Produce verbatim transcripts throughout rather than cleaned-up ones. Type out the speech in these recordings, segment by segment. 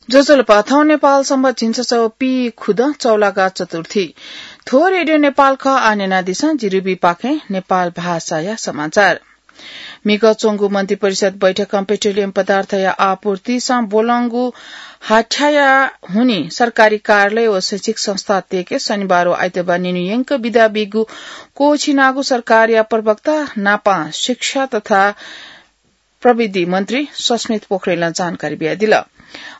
ज्वजलपा, थौं नेपाल संवत् झिंछसः पीखुदँ चौलागा चतुर्थी। थ्व रेडियो नेपाल खः, आः न्यनादिसँ जिरुबी पाखें नेपाल भाषाया समाचार। म्हिगः च्वंगु मन्त्रिपरिषद बैठकं पेट्रोलियम पदार्थया आपूर्तिसं ब्वलंगु हाथ्याया हुनिं सरकारी कार्यालय व शैक्षिक संस्था तयेके शनिबार व आइतबार निन्हु यंक बिदा बीगु क्वःछिनागु सरकारया प्रवक्ता नापं शिक्षा तथा प्रविधि मन्त्री सस्मित पोखरेलं जानकारी बियादिल।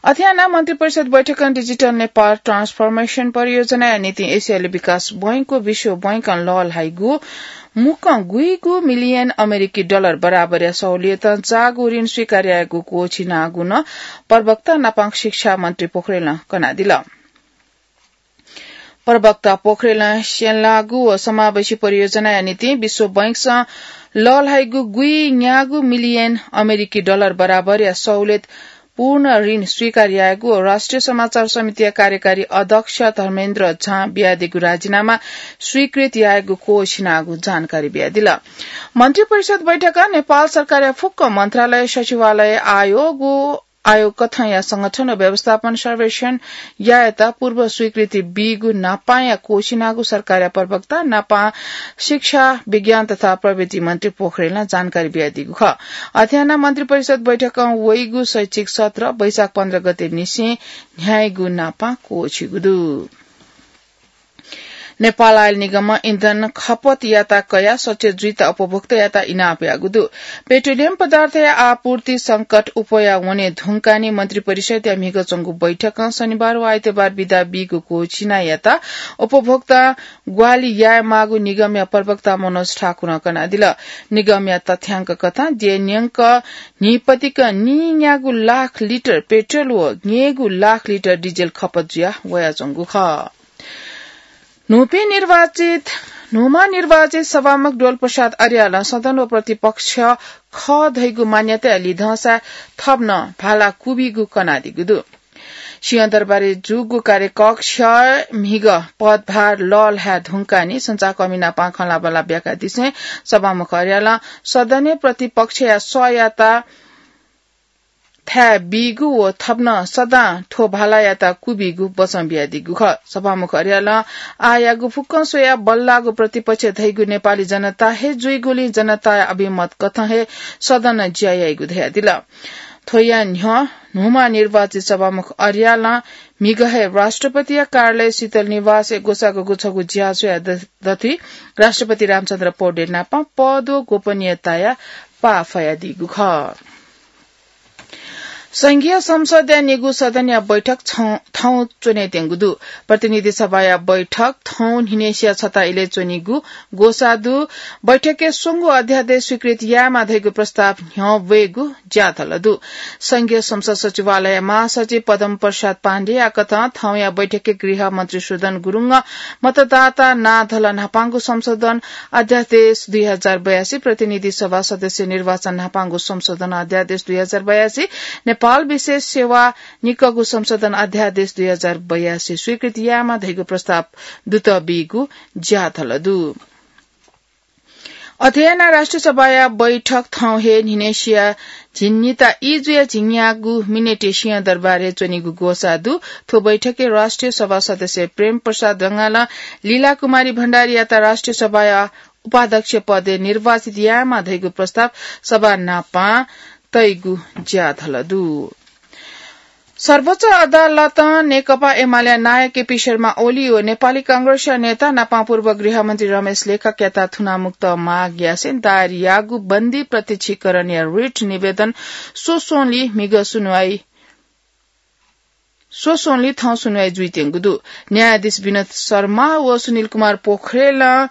अथे यानाः मन्त्रिपरिषद बैठकं डिजिटल नेपाल ट्रान्सफर्मेशन परियोजनाया निंतिं एसियाली विकास बैंकं विश्व बैंकं लःल्हाइगु मुक्कं गुइगु मिलियन अमेरिकी डलर बराबरया सहुलियतं जाःगु ऋण स्वीकार यायेगु क्वःछिनागु नं प्रवक्ता नापं शिक्षा मन्त्री पोखरेलं कनादिल। प्रवक्ता पोखरेलं स्यंलाःगु व समावेशी परियोजनाया निंतिं विश्व बैंकसं लःल्हाइगु गुइन्यागू मिलियन अमेरिकी डलर बराबरया सहुलियत पूर्ण ऋण स्वीकार यायेगु व राष्ट्रिय समाचार समितिया कार्यकारी अध्यक्ष धर्मेन्द्र झां बियादीगु राजीनामा स्वीकृत यायेगु क्वःछिनागु जानकारी बियादिल। मन्त्रिपरिषद बैठकं नेपाल सरकारया फुक्क मन्त्रालय, सचिवालय, आयोग व आयोग कथंया संगठन व व्यवस्थापन सर्वेक्षण यायेत पूर्व स्वीकृति बीगु नापांया क्वःछिनागु सरकारया प्रवक्ता नापं शिक्षा, विज्ञान तथा प्रविधि मन्त्री पोखरेलं जानकारी बियादीगु खः। अथे यानाः मन्त्रिपरिषद बैठकं वइगु शैक्षिक सत्र वैशाख पन्ध्र गते निसें न्ह्याइगु नापं क्वःछिगु दु। नेपाल आयल निगमं इन्धन खपत याता कयाः सचेत जुइत उपभोक्तायात इनाप याःगु दु। पेट्रोलियम पदार्थया आपूर्ति संकट उप्वया वने धुंकाः नि मन्त्रिपरिषदया म्हिगः च्वंगु बैठकं शनिबार व आइतबार बिदा बीगु क्वःछिनायात उपभोक्तां ग्वाहालि यायेमाःगु निगमया प्रवक्ता मनोज ठाकुरं कनादिल। निगमया तथ्याङ्क कथं द्यः न्यंक न्हिपतिक नीन्यागू लाख लिटर पेट्रोल व न्यय्गू लाख लिटर डिजेल खपत जुया वयाच्वंगु खः। न्हूपिं निर्वाचित, न्हूम्ह निर्वाचित सभामुख डोलप्रसाद अर्यालं सदन व प्रतिपक्ष खः धइगु मान्यताया लिधंसा थप नं भाला क्वबीगु कनादीगु दु। सिंहदरबारय् जूगु कार्यकक्ष म्हिगः पदभार लःल्हाये धुंकाः नि सञ्चारकर्मी नाप खँल्हाबल्हा ब्याकादिसें सभामुख अर्यालं सदनय् प्रतिपक्षया सःयात थाय् बीगु व थप नं सदां थ्व भालायात क्वबीगु वचं बियादीगु खः। सभामुख अर्यालं आःयागु फुक्कं स्वयाः बल्लाःगु प्रतिपक्ष धइगु नेपाली जनता हे जुइगुलिं जनताया अभिमत कथं हे सदनं ज्या याइगु धयादिल। थ्वया न्ह्यः न्हूम्ह निर्वाचित सभामुख अर्यालं म्हिगः हे राष्ट्रपतिया कार्यालय शीतल निवासय् ग्वसाःगु छगू ज्या स्वयाः द-, दथुइ राष्ट्रपति रामचन्द्र पौडेल नाप पद व गोपनीयताया पाः फयादीगु खः। संघीय संसदया निगू सदनया बैठक छौं, थौं च्वनेत्यंगु दु। प्रतिनिधि सभाया बैठक थौं न्हिनेसिया छता इलय् च्वनीगु ग्वसाः दु। बैठकय् स्वंगू अध्यादेश स्वीकृत यायेमाः धइगु प्रस्ताव न्ह्यः वयेगु ज्याथल दु। संघीय संसद सचिवालयया महासचिव पद्म प्रसाद पाण्डेया कथं थौंया बैठकय् गृह मन्त्री सुदन गुरुङं मतदाता नाधल न्हापांगु संशोधन अध्यादेश दुई हजार बयासी, प्रतिनिधि सभा सदस्य निर्वाचन न्हापांगु संशोधन अध्यादेश दुई हजार बयासी, नेपाल विशेष सेवा निकःगु संशोधन अध्यादेश दुई हजार बयासी स्वीकृति यायेमाः धइगु प्रस्ताव दुत बीगु ज्याथल दु। अथे यानाः राष्ट्रिय सभाया बैठक थौं हे न्हिनेसिया झिंनिता ई जुया झिंन्यागू मिनेटय् सिंहदरबारय् च्वनीगु ग्वसाः दु। थ्व बैठकय् राष्ट्रिय सभा सदस्य प्रेम प्रसाद ढकालं, लीला कुमारी भण्डारीयात राष्ट्रिय सभाया उपाध्यक्ष पदय् निर्वाचित यायेमाः धइगु प्रस्ताव सभा नापं तइगु ज्याथल दु। सर्वोच्च अदालतं नेकपा एमालेया नायः केपी शर्मा ओली व नेपाली कांग्रेसया नेता नापं पूर्व गृहमन्त्री रमेश लेखकयात थुनामुक्त माग यासें दायर याःगु बन्दी प्रत्यक्षीकरणया रिट निवेदन स्वस्वंलि म्हिगः सुनुवाइ, स्वस्वंलि थौं सुनुवाइ जुइत्यंगु दु। न्यायाधीश विनोद शर्मा व सुनिल कुमार पोखरेलं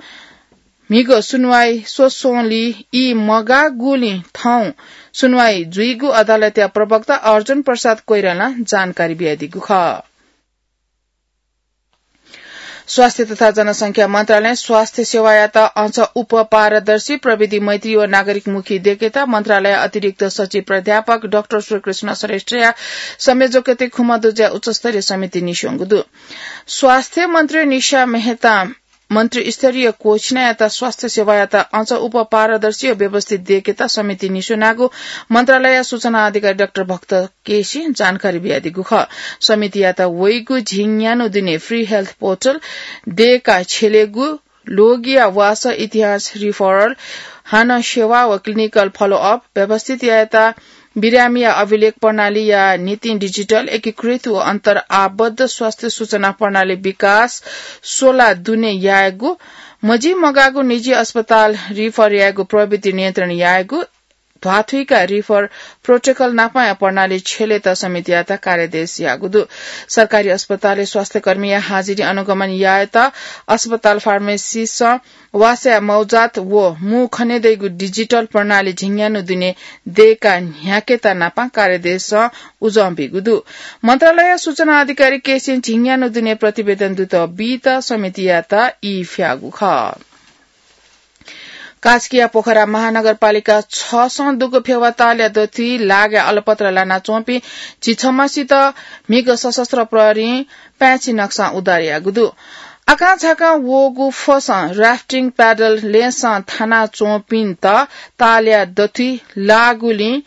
म्हिगः सुनुवाइ स्वस्वंलि ई मगाःगुलिं थौं सुनुवाइ जुइगु अदालतया प्रवक्ता अर्जुन प्रसाद कोइरालां जानकारी बियादीगु खः। स्वास्थ्य तथा जनसंख्या मन्त्रालयं स्वास्थ्य सेवायात अझ उप पारदर्शी, प्रविधि मैत्री व नागरिकमुखी दयेकेत मन्त्रालय अतिरिक्त सचिव प्राध्यापक डाक्टर श्रीकृष्ण श्रेष्ठया संयोजकत्वय् खुम्ह दुजः उच्चस्तरीय समिति निस्वंगु दु। स्वास्थ्य मन्त्री निशा मेहतां मन्त्री स्तरीय कोछिनायात स्वास्थ्य सेवायात अझ उप पारदर्शी व व्यवस्थित देकेत समिति निस्वनागु मन्त्रालय सूचना अधिकारी डाक्टर भक्त केसी जानकारी बियादीगु खः। समितियात वइगु झिंन्यान्हु दुने फ्री हेल्थ पोर्टल, देय्‌का छ्यलेगु, लोगिया वासः इतिहास रिफरल, हानं सेवा व क्लिनिकल फलोअप, व्यवस्थित यायेत बिरामीया अभिलेख प्रणालीया नितिं डिजिटल एकीकृत व अन्तर आबद्ध स्वास्थ्य सूचना प्रणाली विकास सोला दुने यायेगु, मजिमगाःगु निजी अस्पताल रिफर यायेगु प्रवृत्ति नियन्त्रण यायेगु, ध्वाथुइका रिफर प्रोटोकल नापं प्रणाली छ्यलेत समितियात कार्यादेश याःगु दु। सरकारी अस्पतालय् स्वास्थ्यकर्मीया हाजिरी अनुगमन यायेत अस्पताल फार्मेसीसं वासया मौजात व मू खनेदइगु डिजिटल प्रणाली झिंन्यान्हु दुने देय्‌का न्ह्याकेत नापं कार्यादेशं उजं बीगु दु। मन्त्रालय सूचना अधिकारी केसीं झिंन्यान्हु दुने प्रतिवेदन दुत बीत समितियात ई फ्याःगु खः। कास्कीया पोखरा महानगरपालिका छसं दुगु फेवा तालया दथुइ लागया अलपत्र लानाच्वंपिं झिछम्हसित म्हिगः सशस्त्र प्रहरीं पाय्‌छि नक्सां उद्धार याःगु दु। आकांझाकां वःगु फसं राफ्टिङ प्याडल लेसं थानाच्वंपिन्त तालया दथुइ लागुलिं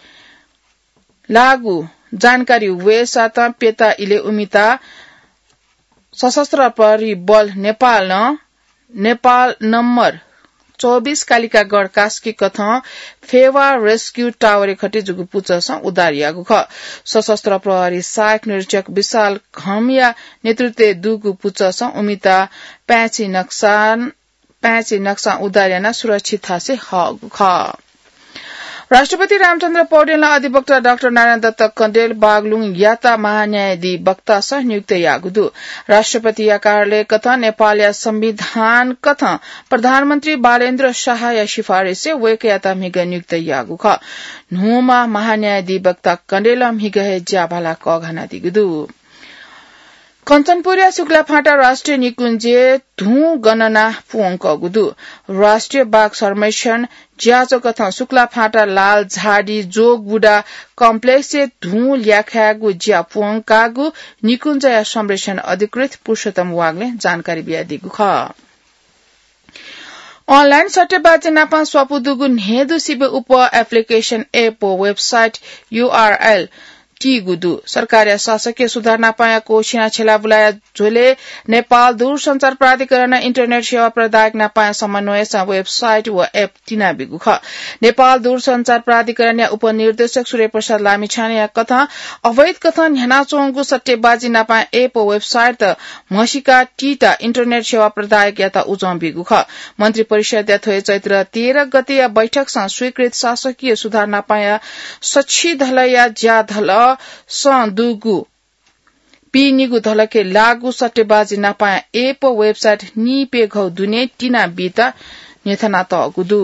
लागु जानकारी वयेसातं प्यता इलय् उमिता सशस्त्र प्रहरी बल नेपालं नेपाल नम्बर चौबिस कालिकागढ कास्की कथं फेवा रेस्क्यू टावरय् खटे जूगु पुचःसं उद्धार याःगु खः। सशस्त्र प्रहरी सहायक निरीक्षक विशाल घमया नेतृत्वय् दुगु पुचःसं उमिता पाय्‌छि नक्सां पाय्‌छि नक्सां उद्धार यानाः सुरक्षित थासय् हःगु खः। राष्ट्रपति रामचन्द्र पौडेलं अधिवक्ता डाक्टर नारायण दत्त कँडेल बागलुङयात महान्यायाधिवक्तासं नियुक्त याःगु दु। राष्ट्रपतिया कार्यालय कथं नेपालया संविधान कथं प्रधानमन्त्री बालेन्द्र शाहया सिफारिसय् वय्‌कःयात म्हिगः नियुक्त याःगु खः। न्हूम्ह महान्यायाधिवक्ता कँडेलं म्हिगः हे ज्याभाला कःघानादीगु दु। कञ्चनपुरया शुक्लाफाँटा राष्ट्रिय निकुञ्जय् धुं गणना पूवंकःगु दु। राष्ट्रिय बाघ संरक्षण ज्याझ्वः कथं शुक्लाफाँटा लालझाडी जोगबुढा कम्प्लेक्सय् धुं ल्याखायेगु ज्या पूवंकागु निकुञ्जया संरक्षण अधिकृत पुरुषोत्तम वाग्लें जानकारी बियादीगु खः। अनलाइन सट्टेबाजी नापं स्वापू दुगु न्हय्‌दु सिबें उप एप्लिकेसन एप व वेबसाइट युआरएल तीगु दु। सरकारया शासकीय सुधार नापंया कोसिना छेलाबुलाया झ्वलय् नेपाल दूरसञ्चार प्राधिकरणं इन्टरनेट सेवा प्रदायक नापंया समन्वयसं वेबसाइट व एप तिनाबीगु खः। नेपाल दूरसञ्चार प्राधिकरणया उपनिर्देशक सूर्यप्रसाद लामिछानेया कथं अवैध कथं न्ह्यानाच्वंगु सट्टेबाजी नापं एप व वेबसाइट म्हसीका तीत इन्टरनेट सेवा प्रदायकयात उजं बीगु खः। मन्त्री परिषदया थ्व हे चैत्र तेह्र गतेया बैठकसं स्वीकृत शासकीय सुधार नापंया सछि धलया ज्या धलसं दुगु पीनिगु धलके लागू सट्टेबाजी नापंया एप वेबसाइट नीप्यघौ दुने तिनाबीत न्ह्यथनातःगु दु।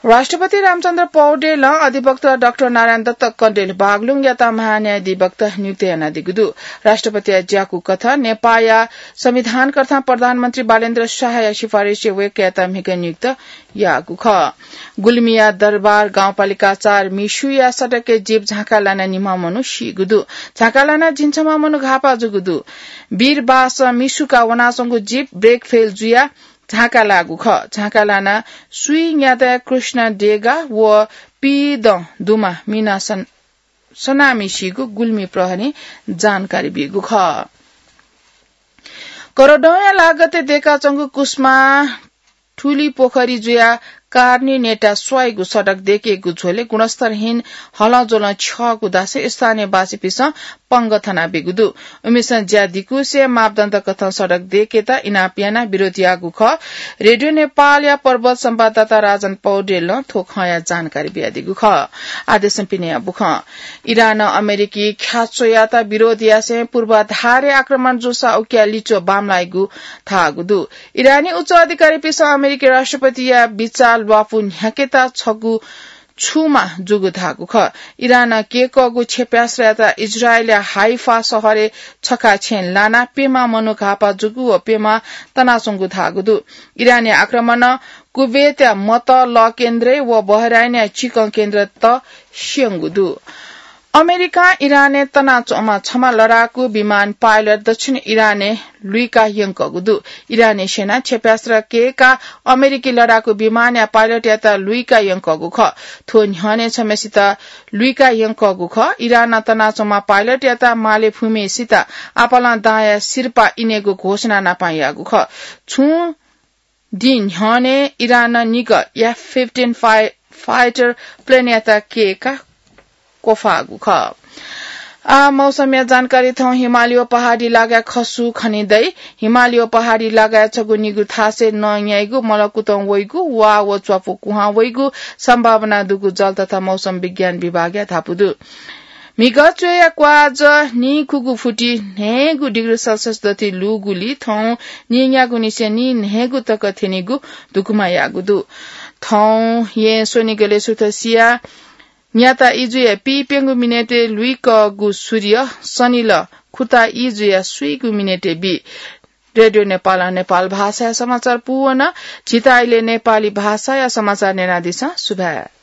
राष्ट्रपति रामचन्द्र पौडेलं अधिवक्ता डाक्टर नारायण दत्त कँडेल बागलुङयात महान्यायाधिवक्ता नियुक्त यानादीगु दु। राष्ट्रपतिया ज्याकू कथं नेपाःया संविधानकर्ता प्रधानमन्त्री बालेन्द्र शाहया सिफारिसय् वय्‌कःयात म्हिगः नियुक्त याःगु खः। गुल्मीया दरबार गाउँपालिका चार मिसुया सडकय् जीप झाँका लानाः निम्ह मनू सीगु दु। झाँका लानाः झिंछम्ह मनू घाःपाः जूगु दु। वीरबास मिसुका वनाच्वंगु जीप ब्रेक फेल जुयाः झाँका लाःगु खः। झाँका लानाः स्वीन्यादँया कृष्ण डेगा व पीदँ दुमा मिना सन-, सनामि सीगु गुल्मी प्रहरीं जानकारी बीगु खः। करडौंया लागतय् दयेकाच्वंगु कुस्मा ठुली पोखरी जुयाः कार्नी नेटा स्वाइगु सडक दयेकेगु झ्वलय् गुणस्तरहीन हलंज्वलं छ्यःगु धासें स्थानीयवासीपिन्सं पंगः थनाबीगु दु। उमिसं ज्या दिकुसे मापदण्ड कथं सडक दयेकेत इनाप यानाः विरोध याःगु खः। रेडियो नेपालया पर्वत संवाददाता राजन पौडेलं थ्व खँया जानकारी बियादीगु खः। आः देशं पिनेया बुखँ। इरानं अमेरिकी ख्याच्वयात विरोध यासें पूर्वाधारय् आक्रमण जूसा उकिया लिच्वः बांमलाइगु धाःगु दु। इरानी उच्च अधिकारीपिन्सं अमेरिकी राष्ट्रपतिया बिचाः ल्वापु न्ह्याकेत छगू छुमा जूगु धाःगु खः। इरानं केकःगु क्षेप्यास्त्रयात इजरायलया हाइफा शहरय् छखा छेँ लानाः प्यम्ह मनू घाःपाः जूगु व प्यम्ह तनाच्वंगु धाःगु दु। इरानया आक्रमणं कुवेतया मतः लः केन्द्रय् व बहराइनया चिकं केन्द्रत स्यंगु दु। अमेरिकां इरानय् तनाच्वंम्ह छम्ह लडाकू विमान पाइलट दक्षिण इरानय् लुइका यंकःगु दु। इरानी सेनां क्षेपणास्त्र कय्काः अमेरिकी लडाकू विमानया पाइलटयात लुइका यंकःगु खः। थ्व न्ह्यःने छम्हसित लुइका यंकःगु खः। इरानं तनाच्वंम्ह पाइलटयात मालेफुम्हसित आपालं दांया सिरपाः इनेगु घोषणा नापं याःगु खः। छुं दिं न्ह्यःने इरानं निगः F fifteen फाइ-, फाइटर प्लेनयात कय्काः क्वफाःगु खः। आ, मौसमया जानकारी थौं हिमालय व पहाडी इलाकाय् खसु खने दइ। हिमालय व पहाडी इलाकाय् छगू निगू थासय् नं न्याइगु, मलकुतं वइगु, वा व च्वापु कुहां वइगु सम्भावना दुगु जल तथा मौसम विज्ञान विभागया धापू दु। म्हिगः च्वय्या क्वाःजः नीखुगु फुति न्हय्गू डिग्री सेल्सियस दथुइ लूगुलिं थौं नीन्यागूनिसें नीन्हय्गू तक थ्यनीगु धुकुमा याःगु दु। थौं येँ स्वनिगलय् सुथ सिया न्याता इजुया पीप्यंगू मिनेटय् लुइकःगु सूर्य सनिल खुता इजुया स्वीगू मिनेटय् बी। रेडियो नेपालं नेपाल भाषाया समाचार पूवन। झीत आइलय् नेपाली भाषाया समाचार न्यनादिसँ। सुभाय्।